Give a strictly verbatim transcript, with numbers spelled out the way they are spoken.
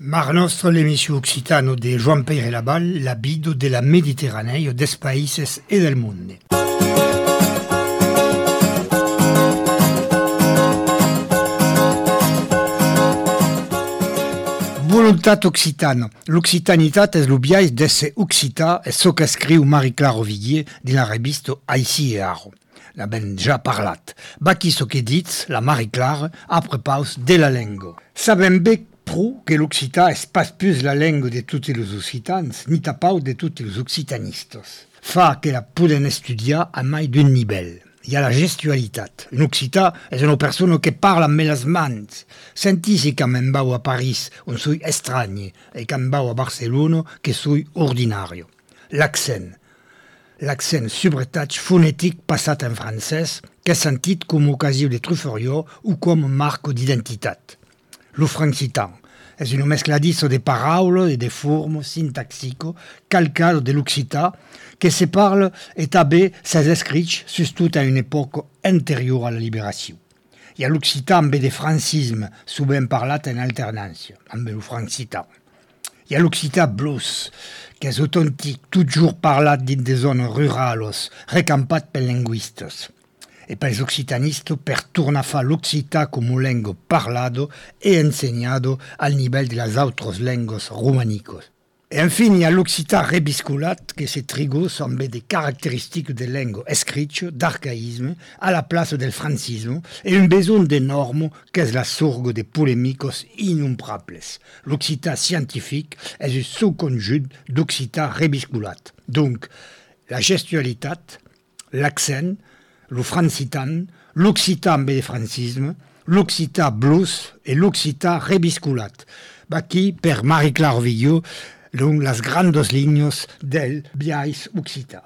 Mar nostra l'emissió occitano de Joan Peire Labal, la bido de la Mediterraneo des països e del monde. Voluntat occitana. L'occitanitat és l'obiais d'esse occità e so que escriu Marie-Claire Ovillier de la revista Aici e Aro. La ben già parlat. Baqui so che dits, la Marie-Claire, apre paus de la lengua. Sabem bé pro que l'occità és pas plus la lengua de tutti los occitans, ni tapau de tutti los occitanistes. Fa que la poden estudiar a mai d'un nivell. Hi ha la gestualitat. Un occità és una persona que parla amb les mans. Sentisi que me'n vau a París, on soy estrany, e que me'n vau a Barcelona, que soy ordinario. L'accent. L'accent subretatge fonétic passat en francès, que és sentit com ocasió de truferior o com marco d'identitat. Lo francitan és un mescladizo de paraules et de formes sintaxiques calcado de l'occità que se parle et també ses escrits surtout a une époque antérieure à la libération. Hi ha l'occità amb de francisme, sovint parlat en alternància, amb el francitan. Hi ha l'occità blos, que és autèntic, toujours parlat dins de zones rurales, recampat per linguistes. E pels occitanistes per tornar a fa l'occità com una lengua parlado e ensenyado al nivell de les altres lengues romanicos. E enfin, hi ha l'occità rebisculat que se trigus amb de caractéristiques de lengua escrita, d'arcaïsme, a la place del francisme, e un besoin de normes que és la sorgue de polémicos innombrables. L'occità scientifique és un subconjunt d'occità rebisculat. Donc, la gestualitat, l'accent, lo francitan, l'occità amb de francisme, l'occità blues et l'occità rebisculat. Baqui, per Marie-Claire Ovillier, les grandes línies del biais occità.